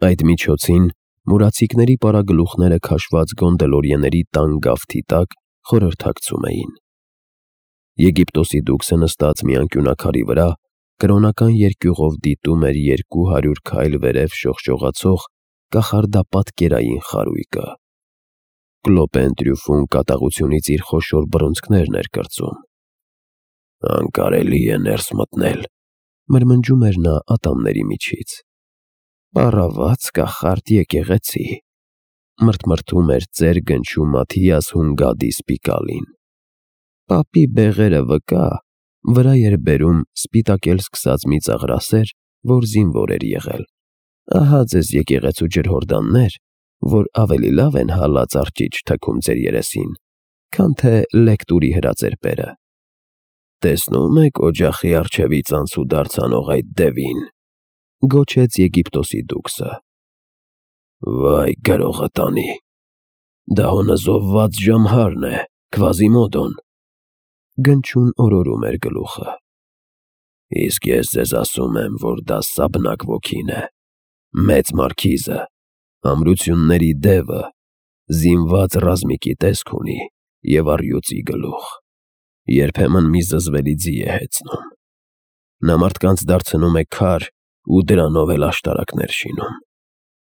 Այդ միջոցին մուրացիկների պարագլուխները քաշված գոնդելորիեների տան գավթի տակ խորհրդակցում էին։ Եգիպտոսի դուքսը նստած մի անկյունաքարի վրա կրոնական երկյուղով դիտում էր 200 քայլ վերև շողշողացող կախարդապատկերային խարույկը։ Կլոպեն Տրյուֆուն կատաղությունից իր խոշոր բռունցքներն էր կրծում։ «Անկարելի է ներս մտնել», մրմնջում էր նա ատամների միջից։ «Պառավաց կախարդ եկեղեցի», մրթմրթում էր ծեր գնչու Մաթիաս Հունգադի Սպիկալին։ Պապի բեղերը վկա, վրա էր բերում սպիտակել սկսած մի ծաղրասեր, որ զինվոր էր եղել։ Ահա ձեզ եկեղեցու ջրհորդաններ, որ ավելի լավ են հալած արճիճ թքում ձեր երեսին, քան թե լեկտուրի հրածերպերը։ «Տեսնում եք օջախի առջևից անցուդարձ անող այդ դևին», գոչեց Եգիպտոսի դուքսը։ «Վայ գրողը տանի, դա հոնզովված ժամհարն է, Քվազիմոդոն», գնչուն օրորում էր գլուխը։ «Իսկ ես ձեզ ասում եմ, որ դա Սաբնակ ոգին է, մեծ մարքիզը, ամրությունների դևը, զինված ռազմիկի տեսք ունի և առյուծի գլուխ, երբեմն մի զզվելի ձի է հեծնում։ Նա մարդկանց դարձնում է քար ու դրանով էլ աշտարակներ շինում։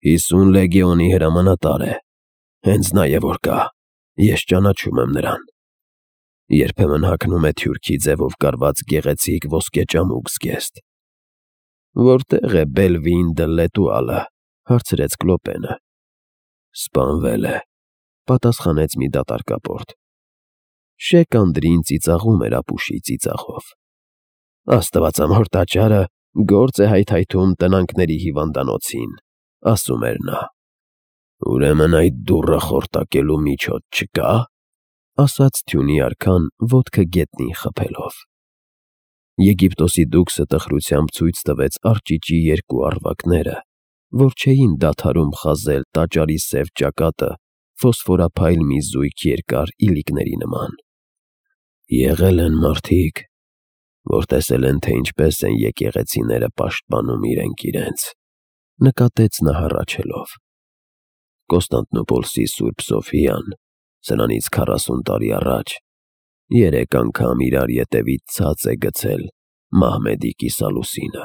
50 լեգիոնի հրամանատար է, հենց նա է որ կա, ես ճանաչում եմ նրան։ Երբեմն հագնում է թյուրքի ձևով կարված գեղեցիկ ոսկե ճամուկ զգեստ։ Որտե՞ղ է Բելվին դը Լետուալը, հարցրեց Կլոպենը։ Սպանվել է, պատասխանեց մի դատարկապորտ։ Շեկ Անդրին ծիծաղում էր ապուշի ծիծաղով։ Աստվածամոր տաճարը գործ է հայթայթում տնանքների հիվանդանոցին, ասում էր նա։ Ուրեմն այդ դուռը խորտակելու միջոց չկա, ասաց թյունի արքան ոտքը գետնին խփելով։ Եգիպտոսի դուքսը տխրությամբ ցույց տվեց արճիճի երկու առվակները, որ չէին դադարում խազել տաճարի սև ճակատը ֆոսֆորափայլ մի զույգ երկար իլիկների նման։ Եղել են մարդիկ, որ տեսել են, թե ինչպես են եկեղեցիները պաշտպանում իրենք, նկատեց նա հառաչելով։ Կոստանդնուպոլսի Սուրբ Սոֆիան, սրանից 40 տարի առաջ, 3 անգամ իրար ետևից ցած է գցել Մահմեդի կիսալուսինը,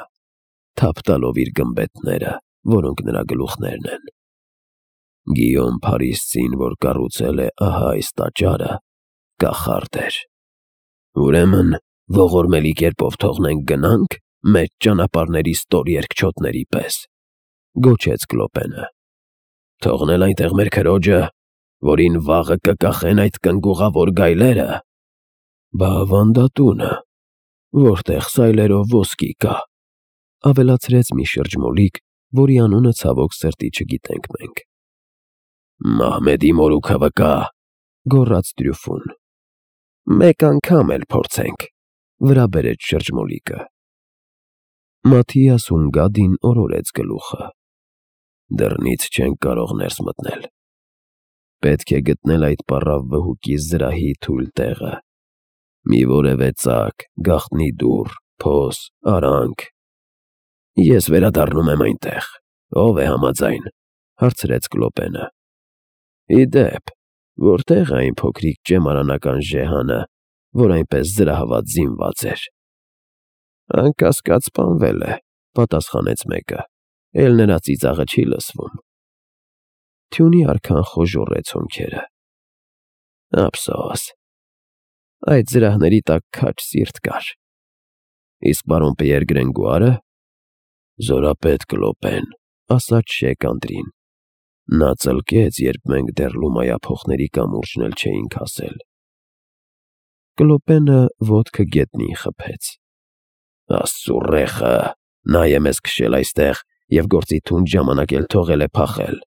թափ տալով իր գմբեթները, որոնք նրա գլուխներն են։ Գիյոմ Փարիսցին, որ կառուցել է ահա այս տաճարը, կախարդ էր։ Ուրեմն ողորմելի կերպով թողնենք գնանք մեր ճանապարհների ստոր երկչոտների պես, գոչեց Կլոպենը։ Թողնել այնտեղ մեր քրոջը, որին վաղը կկախեն այդ կնգուղավոր գայլերը։ Բա ավանդատունը, որտեղ սայլերով ոսկի կա, ավելացրեց մի շրջմոլիկ, որի անունը ցավոք սրտի չգիտենք մենք։ Մահմեդի մորուքը վկա, գոռաց Տրյուֆուն։ Մեկ անգամ էլ փորձենք, վրա բերեց շրջմոլիկը։ Մաթիաս Հունգադին օրորեց գլուխը։ Դռնից չենք կարող ներս մտնել։ Պետք է գտնել այդ պառավ վհուկի զրահի թույլ տեղը։ Մի որևէ ծակ, գաղտնի դուռ, փոս, արանք։ Ես վերադառնում եմ այնտեղ։ Ով է համաձայն, հարցրեց Կլոպենը։ Իդեպ, որտեղ է այն փոքրիկ ճեմարանական ժեհանը, որ այնպես զրահված զինված էր։ Անկասկած սպանվել է, պատասխանեց մեկը, էլ նրա ծիծաղը չի լսվում։ Թյունի արքան խոժոռեց հոնքերը։ Ափսոս, այդ զրահների տակ քաջ սիրտ կար։ Իսկ պարոն Պիեր Գրենգուարը զորապետ Կլոպեն, ասաց Շեկ Անդրին։ Նա ծլկեց, երբ մենք դեռ լումայափոխների կամուրջն էլ չէինք հասել։ Կլոպենը ոտքը գետնին խփեց։ Աստծու ռեխը, նա է մեզ քշել այստեղ և գործի թունդ ժամանակ էլ թողել է փախել։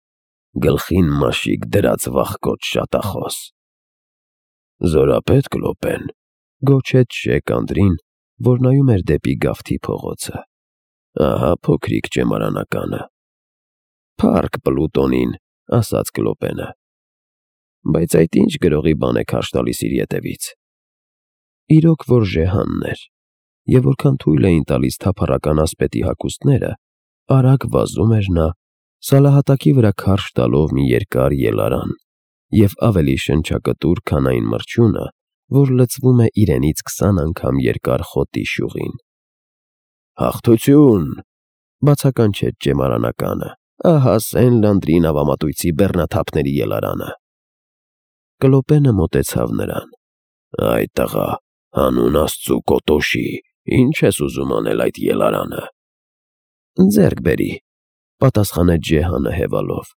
Գլխին մաշիկ դրած վախկոտ շատախոս։ Զորապետ Կլոպեն, գոչեց Շեկ Անդրին, որ նայում էր դեպի գավթի փողոցը։ Ահա փոքրիկ ճեմարանականը։ Փառք Պլուտոնին, ասաց Կլոպենը։ Բայց այդ ինչ գրողի բան է քարշ տալիս իր ետևից։ Իրոք որ ժեհանն էր, և որքան թույլ էին տալիս թափառական ասպետի հագուստները, արագ վազում էր նա, Սալահատակի վրա քարշ տալով մի երկար ելարան և ավելի շնչակտուր, քան այն մրջյունը, որ լցվում է իրենից 20 անգամ երկար խոտի շյուղին։ «Հաղթություն», բացականչեց ճեմարանականը, «ահա Սեն-Լանդրի նավամատույցի բեռնաթափների ելարանը»։ Կլոպենը մոտեցավ նրան։ «Այ տղա, հանուն Աստծու Կոտոշի, ինչ ես ուզում անել այդ ելարանը»։ «Ձեռք բերի», պատասխանեց Ջեհանը հևալով։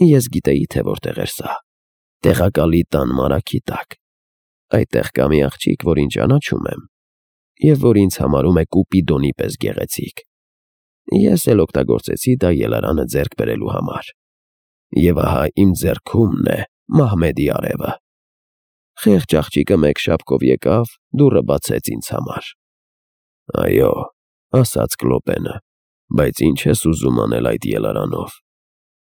Ես գիտեի, թե որտեղ էր սա։ Տեղակալի տան մարագի տակ։ Այդտեղ կա մի աղջիկ, որին ճանաչում եմ, և որ ինձ համարում է Կուպիդոնի պես գեղեցիկ։ Ես էլ օգտագործեցի դա ելարանը ձեռք բերելու համար։ Եվ ահա իմ ձեռքումն է Մահմեդի արևը։ Խեղճ աղջիկը մեկ շապկով եկավ, դուռը բացեց ինձ համար։ «Այո», ասաց Կլոպենը, «բայց ինչ ես ուզում անել այդ ելարանով»։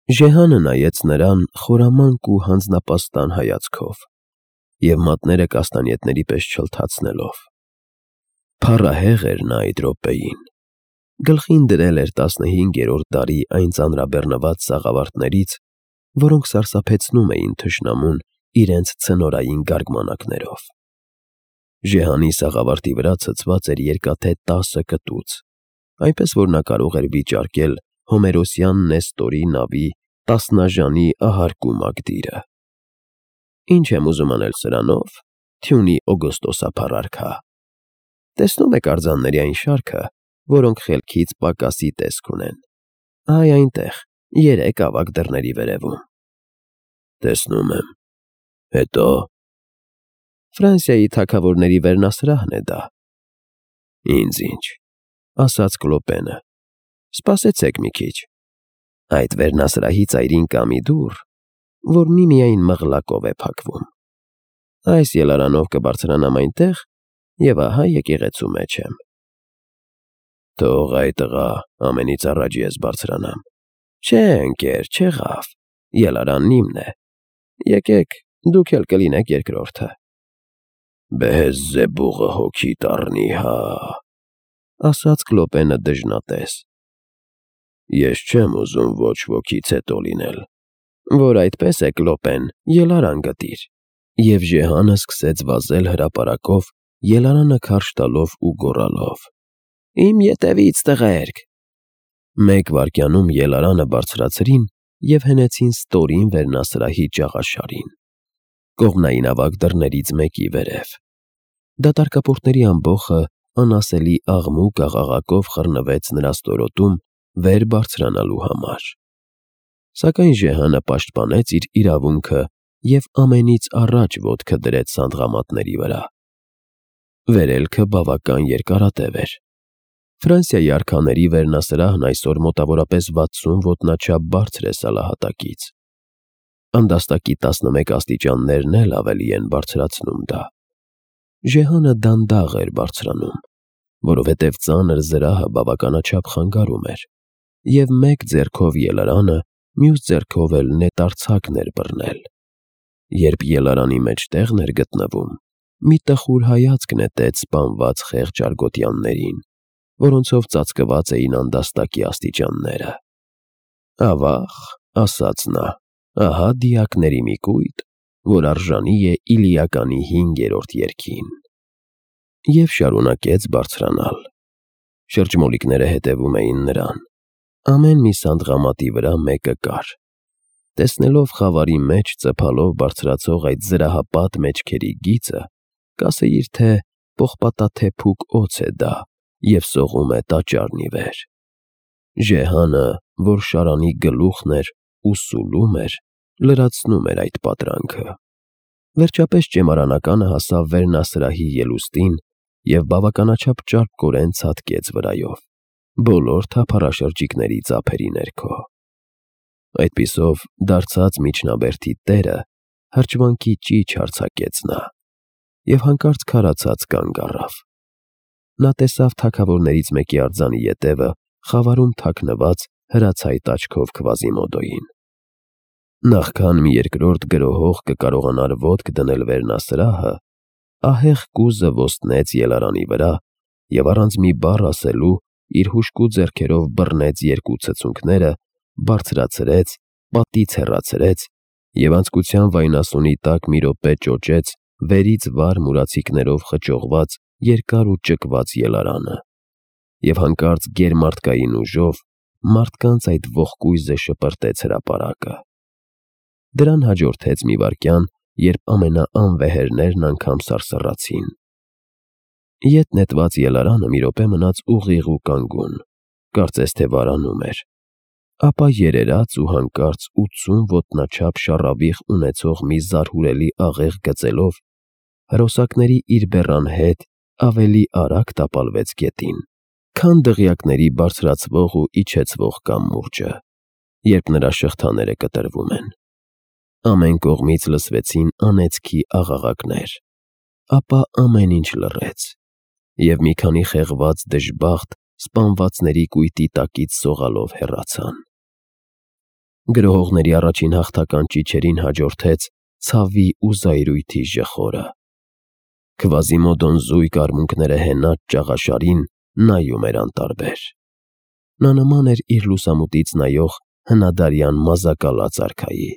Ժեհանը նայեց նրան խորամանկ ու հանձնապաստան հայացքով և մատները կաստանյետների պես չլթացնելով։ Փառահեղ էր նա այդ րոպեին։ Գլխին դրել էր 15-րդ դարի այն ծանրաբեռնված սաղավարտներից, որոնք սարսափեցնում էին թշնամուն իրենց ցնորային գարգմանակներով։ Ժեհանի սաղավարտի վրա ցցված էր երկաթե 10 կտուց, այնպես որ նա կարող էր վիճարկել հոմերոսյան Նեստորի նավի տասնաժանի ահարկու մակդիրը։ Ինչ եմ ուզում անել սրանով, թյունի Օգոստոսափառ արքա։ Տեսնում եք արձանների այն շարքը, որոնք խելքից պակասի տեսք ունեն։ Այ այնտեղ, 3 ավագ դռների վերևում։ Տեսնում եմ։ Հետո։ Ֆրանսիայի թագավորների վերնասրահն է դա։ Ինձ ինչ, ասաց Կլոպենը։ Սպասեցեք մի քիչ։ Այդ վերնասրահի ծայրին կա մի դուռ, որ միմիայն մղլակով է փակվում։ Այս ելարանով կբարձրանամ այնտեղ, և ահա եկեղեցու մեջ եմ։ Թող այ տղա, ամենից առաջ ես բարձրանամ։ Չէ, ընկեր, չեղավ, ելարանն իմն է։ Եկեք, դուք էլ կլինեք երկրորդը։ Բեհեզզեբուղը հոգի տառնի, հա, ասաց Կլոպենը դժնատես։ Ես չեմ ուզում ոչ ոքից հետո լինել։ Որ այդպես է, Կլոպեն, ելարան գտիր։ Եվ Ժեհանը սկսեց վազել հրապարակով, ելարանը քարշ տալով ու գոռալով. Իմ ետևից, տղերք։ 1 վայրկյանում ելարանը բարձրացրին և հենեցին ստորին վերնասրահի ճաղաշարին, կողմնային ավագ դռներից մեկի վերև։ Դատարկապորտների ամբոխը անասելի աղմուկ աղաղակով խռնվեց նրա ստորոտում վեր բարձրանալու համար։ Սակայն Ժեհանը պաշտպանեց իր իրավունքը և ամենից առաջ ոտքը դրեց սանդղամատների վրա։ Վերելքը բավական երկարատև էր։ Ֆրանսիայի արքաների վերնասրահն այսօր մոտավորապես 60 ոտնաչափ բարձր է սալահատակից։ Անդաստակի 11 աստիճաններն էլ ավելի են բարձրացնում դա։ Ժեհանը դանդաղ էր բարձրանում, որովհետև ծանր զրահը բավականաչափ խանգարում էր, և մեկ ձեռքով ելարանը, մյուս ձեռքով էլ նետարդցակն էր բռնել։ Երբ ելարանի մեջտեղն էր գտնվում, մի տխուր հայացք նետեց սպանված խեղճ արգոտյաններին, որոնցով ծածկված էին անդաստակի աստիճանները։ Ավաղ, ասաց նա, ահա դիակների մի կույտ, որ արժանի է Իլիականի 5-րդ երգին։ Եվ շարունակեց բարձրանալ։ Շրջմոլիկները հետևում էին նրան։ Ամեն մի սանդղամատի վրա մեկը կար։ Տեսնելով խավարի մեջ ծփալով բարձրացող այդ զրահապատ մեջքերի գիծը, կասեիր, թե պողպատաթեփուկ օձ է դա և սողում է տաճարն ի վեր։ Ժեհանը, որ շարանի գլուխն էր ու սուլում էր, լրացնում էր այդ պատրանքը։ Վերջապես ճեմարանականը հասավ վերնասրահի ելուստին և բավականաչափ ճարպկորեն ցատկեց վրայով, բոլոր թափառաշրջիկների ծափերի ներքո։ Այդպիսով դարձած միջնաբերդի տերը հրճվանքի ճիչ արձակեց նա և հանկարծ քարացած կանգ առավ։ Նա տեսավ թագավորներից մեկի արձանի ետևը խավարում թաքնված հրացայտ աչքով Քվազիմոդոյին։ Նախքան մի երկրորդ գրոհող կկարողանար ոտք դնել վերնասրահը, ահեղ կուզը ոստնեց ելարանի վրա և առանց մի բառ ասելու իր հուժկու ձեռքերով բռնեց երկու ցցունքները, բարձրացրեց, պատից հեռացրեց և անցկության վայնասունի տակ մի րոպե ճոճեց վերից վար մուրացիկներով խճողված երկար ու ճկված ելարանը և հանկարծ գերմարդկային ուժով մարդկանց այդ ողկույզը շպրտեց հրապարակը։ Դրան հաջորդեց մի վայրկյան, երբ ամենաանվեհերներն անգամ սարսռացին։ Ետ նետված ելարանը մի րոպե մնաց ուղիղ ու կանգուն, կարծես թե վարանում էր, ապա երերաց ու հանկարծ 80 ոտնաչափ շառավիղ ունեցող մի զարհուրելի աղեղ գծելով հրոսակների իր բեռան հետ ավելի արագ տապալվեց գետին, քան դղյակների բարձրացվող ու իջեցվող կամուրջը, երբ նրա շղթաները կտրվում են։ Ամեն կողմից լսվեցին անեծքի աղաղակներ, ապա ամեն ինչ լռեց, և մի քանի խեղված դժբախտ սպանվածների կույտի տակից սողալով հեռացան։ Գրոհողների առաջին հաղթական ճիչերին հաջորդեց ցավի ու զայրույթի ժխորը։ Քվազիմոդոն զույգ արմունկները հենած ճաղաշարին նայում էր անտարբեր։ Նա նման էր իր լուսամուտից նայող հնադարյան մազակալած արքայի։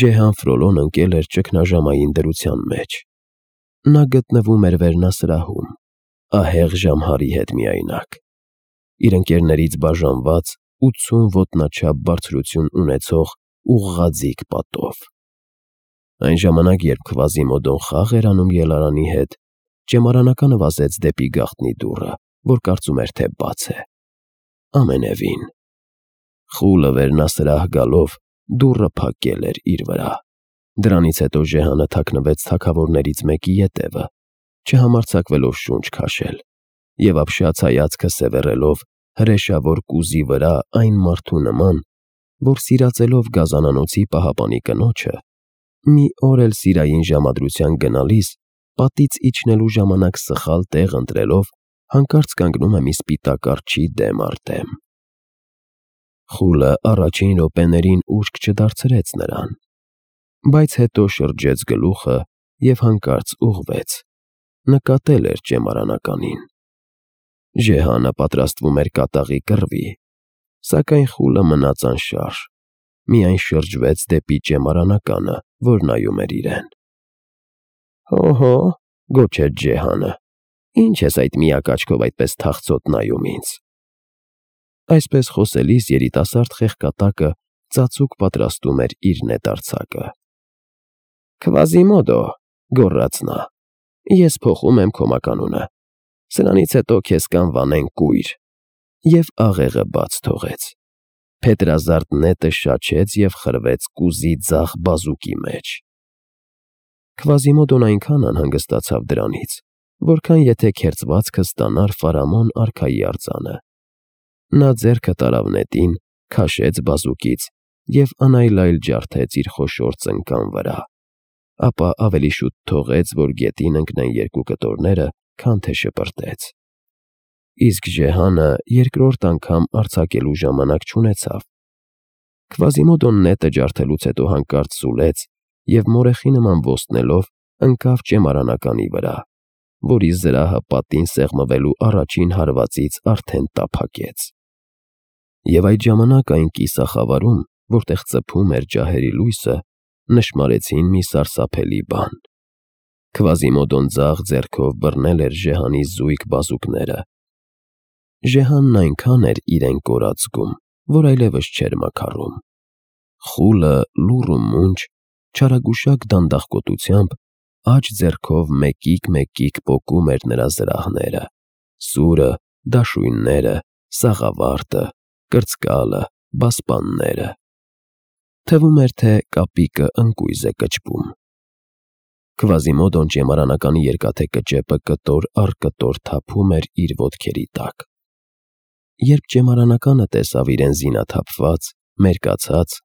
Ժեհան Ֆրոլոն ընկել էր ճգնաժամային դրության մեջ։ Նա գտնվում էր վերնասրահում, ահեղ Ժամհարի հետ միայնակ, իր ընկերներից բաժանված 80 ոտնաչափ բարձրություն ունեցող ուղղաձիգ պատով։ Այն ժամանակ, երբ Քվազիմոդոն խաղ էր անում ելարանի հետ, ճեմարանականը վազեց դեպի գաղտնի դուռը, որ կարծում էր, թե բաց է։ Ամենևին։ Խուլը վերնասրահ գալով դուռը փակել էր իր վրա։ Դրանից հետո Ժեհանը թաքնվեց թագավորներից մեկի ետևը, չհամարձակվելով շունչ քաշել, և ապշած հայացքը սևեռելով հրեշավոր կուզի վրա այն մարդու նման, որ սիրածելով գազանանոցի պահապանի կնոջը, մի օր էլ սիրային ժամադրության գնալիս պատից իջնելու ժամանակ սխալ տեղ ընտրելով հանկարծ կանգնում է մի սպիտակ արջի դեմ առ դեմ։ Խուլը առաջին րոպեներին ուշք չդարձրեց նրան, բայց հետո շրջեց գլուխը և հանկարծ ուղղվեց, նկատել էր ճեմարանականին։ Ժեհանը պատրաստվում էր կատաղի կռվի, սակայն խուլը մնաց անշարժ, միայն շրջվեց դեպի ճեմարանականը, որ նայում էր իրեն։ «Հո՛հո», գոչեց Ժեհանը, «ի՞նչ ես այդ միակ աչքով այդպես թախծոտ նայում ինձ»։ Այսպես խոսելիս երիտասարդ խեղկատակը ծածուկ պատրաստում էր իր նետարձակը։ «Քվազիմոդո», գոռաց նա, «ես փոխում եմ քո մականունը, սրանից հետո քեզ կանվանեն կույր», և աղեղը բաց թողեց։ Փետրազարդ նետը շաչեց և խրվեց կուզի ձախ բազուկի մեջ։ Քվազիմոդոն այնքան անհանգստացավ դրանից, որքան եթե քերծվածքը ստանար Ֆարամոն արքայի արձանը։ Նա ձեռքը տարավ նետին, քաշեց բազուկից և անայլայլ ջարդեց իր խոշոր ծնկան վրա, ապա ավելի շուտ թողեց, որ գետին ընկնեն երկու կտորները, քան թե շպրտեց։ Իսկ Ժեհանը երկրորդ անգամ արձակելու ժամանակ չունեցավ։ Քվազիմոդոն նետը ջարդելուց հետո հանկարծ սուլեց և մորեխի նման ոստնելով ընկավ ճեմարանականի վրա, որի զրահը պատին սեղմվելու առաջին հարվածից արդեն տափակեց։ Եվ այդ ժամանակ այն կիսախավարում, որտեղ ծփում էր ջահերի լույսը, նշմարեցին մի սարսափելի բան։ Քվազիմոդոն ձախ ձեռքով բռնել էր Ժեհանի զույգ բազուկները։ Ժեհանն այնքան էր իրեն կորած զգում, որ այլևս չէր մաքարում։ Խուլը լուռ ու մունջ, չարագուշակ դանդաղկոտությամբ աջ ձեռքով մեկիկ պոկում էր նրա զրահները՝ սուրը, դաշույնները, սաղավարտը, կրծկալը, բասպանները։ Թվում էր, թե կապիկը ընկույզ է կճվում։ Քվազիմոդոն ճեմարանականի երկաթե կճեպը կտոր առ կտոր թափում էր իր ոտքերի տակ։ Երբ ճեմարանականը տեսավ իրեն զինաթափված, մերկացած,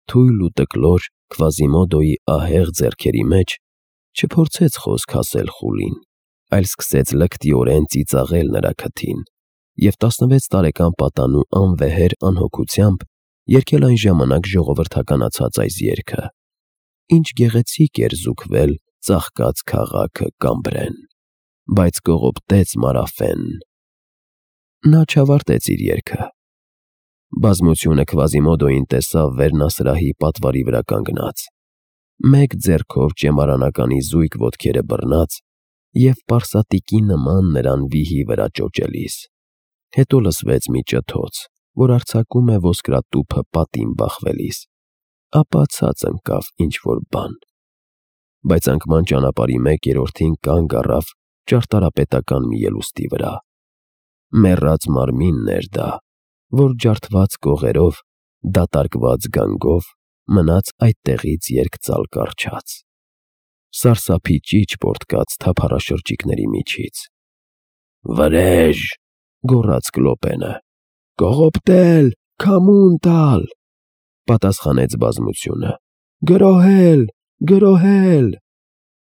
թույլ ու տկլոր Քվազիմոդոյի ահեղ ձեռքերի մեջ, չփորձեց խոսք ասել խուլին, այլ սկսեց լկտիորեն ծիծաղել նրա քթին և 16 տարեկան պատանու անվեհեր անհոգությամբ երգել այն ժամանակ ժողովրդականացած այս երգը. «Ինչ գեղեցիկ էր զուգվել ծաղկած քաղաքը Կամբրեն, բայց կողոպտեց Մարաֆենն»։ Նա չավարտեց իր երգը։ Բազմությունը Քվազիմոդոին տեսավ վերնասրահի պատվարի վրա կանգնած, մեկ ձեռքով ճեմարանականի զույգ ոտքերը բռնած և պարսատիկի նման նրան վիհի վրա ճոճելիս։ Հետո լսվեց մի ճթոց, որ արձակում է ոսկրատուփը պատին բախվելիս, ապա ցած ընկավ ինչ-որ բան։ Բայց անկման ճանապարհի 1/3-ին կանգ առավ ճարտարապետական մի ելուստի վրա։ Մեռած մարմինն էր դա, որ ջարդված կողերով, դատարկված գանգով մնաց այդտեղից երկծալ կառչած։ Սարսափի ճիչ պոռթկաց թափառաշրջիկների միջից։ «Վրեժ!» գոռաց Կլոպենը։ «Կողոպտել, քամուն տալ», պատասխանեց բազմությունը։ «Գրոհել, գրոհել»։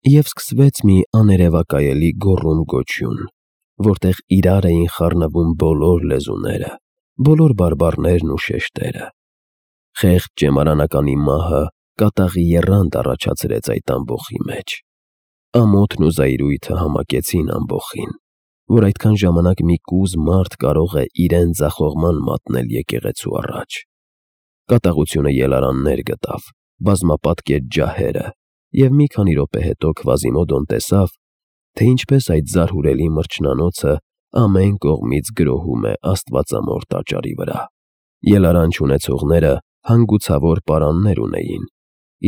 Եվ սկսվեց մի աներևակայելի գոռում-գոչյուն, որտեղ իրար էին խառնվում բոլոր լեզուները, բոլոր բարբառներն ու շեշտերը։ Խեղճ ճեմարանականի մահը կատաղի եռանդ առաջացրեց այդ ամբոխի մեջ։ Ամոթն ու զայրույթը համակեցին ամբոխին, որ այդքան ժամանակ մի կուզ մարդ կարող է իրեն ձախողման մատնել եկեղեցու առաջ։ Կատաղությունը ելարաններ գտավ, բազմապատկեց ջահերը, և մի քանի րոպե հետո Քվազիմոդոն տեսավ, թե ինչպես այդ զարհուրելի մրջնանոցը ամեն կողմից գրոհում է աստվածամոր տաճարի վրա։ Ելարան չունեցողները հանգուցավոր պարաններ ունեին,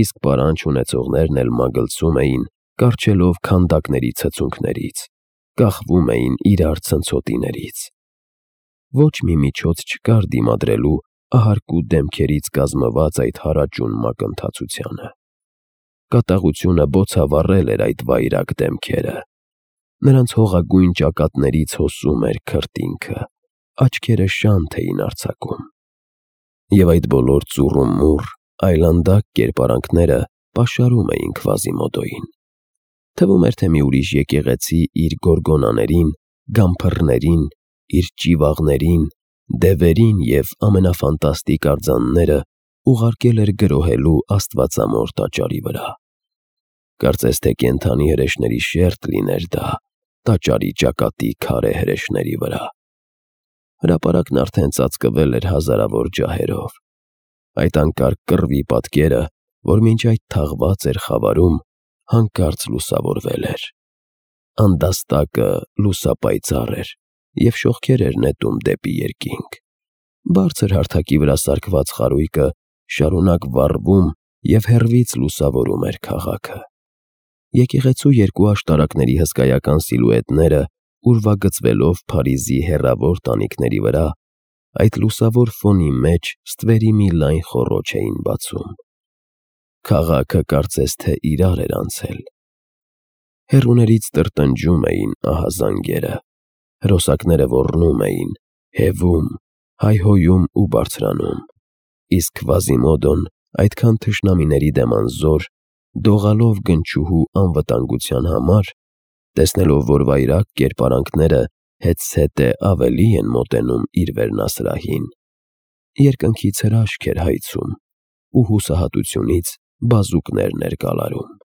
իսկ պարան չունեցողներն էլ մագլցում էին, կառչելով քանդակների ցցունքներից, կախվում էին իրար ցնցոտիներից։ Ոչ մի միջոց չկար դիմադրելու ահարկու դեմքերից կազմված այդ հարաճուն մակընթացությանը։ Կատաղությունը բոցավառել էր այդ վայրագ դեմքերը։ Նրանց հողագույն ճակատներից հոսում էր քրտինքը, աչքերը շանթ էին արձակում։ Եվ այդ բոլոր ծուռումուռ, այլանդակ կերպարանքները պաշարում էին Քվազիմոդոյին։ Թվում էր, թե մի ուրիշ եկեղեցի իր գորգոնաներին, գամփռներին, իր ճիվաղներին, դևերին և ամենաֆանտաստիկ արձանները ուղարկել էր գրոհելու աստվածամոր տաճարի վրա։ Կարծես թե կենդանի հրեշների շերտ լիներ դա տաճարի ճակատի քարե հրեշների վրա։ Հրապարակն արդեն ծածկվել էր հազարավոր ջահերով։ Այդ անկարգ կռվի պատկերը, որ մինչ այդ թաղված էր խավարում, հանկարծ լուսավորվել էր։ Անդաստակը լուսապայծառ էր և շողքեր էր նետում դեպի երկինք։ Բարձր հարթակի վրա սարքված խարույկը շարունակ վառվում և հեռվից լուսավորում էր քաղաքը։ Եկեղեցու երկու աշտարակների հսկայական սիլուետները ուրվագծվելով Փարիզի հեռավոր տանիքների վրա, այդ լուսավոր ֆոնի մեջ ստվերի մի լայն խոռոչ էին բացում։ Քաղաքը կարծես թե իրար էր անցել։ Հեռուներից տրտնջում էին ահազանգերը, հրոսակները ոռնում էին, հևում, հայհոյում ու բարձրանում, իսկ Քվազիմոդոն այդքան թշնամիների դեմ անզոր, դողալով գնչուհու անվտանգության համար, տեսնելով, որ վայրագ կերպարանքները հետզհետե ավելի են մոտենում իր վերնասրահին, երկնքից հրաշք էր հայցում ու հուսահատությունից բազուկներ ներկալարում։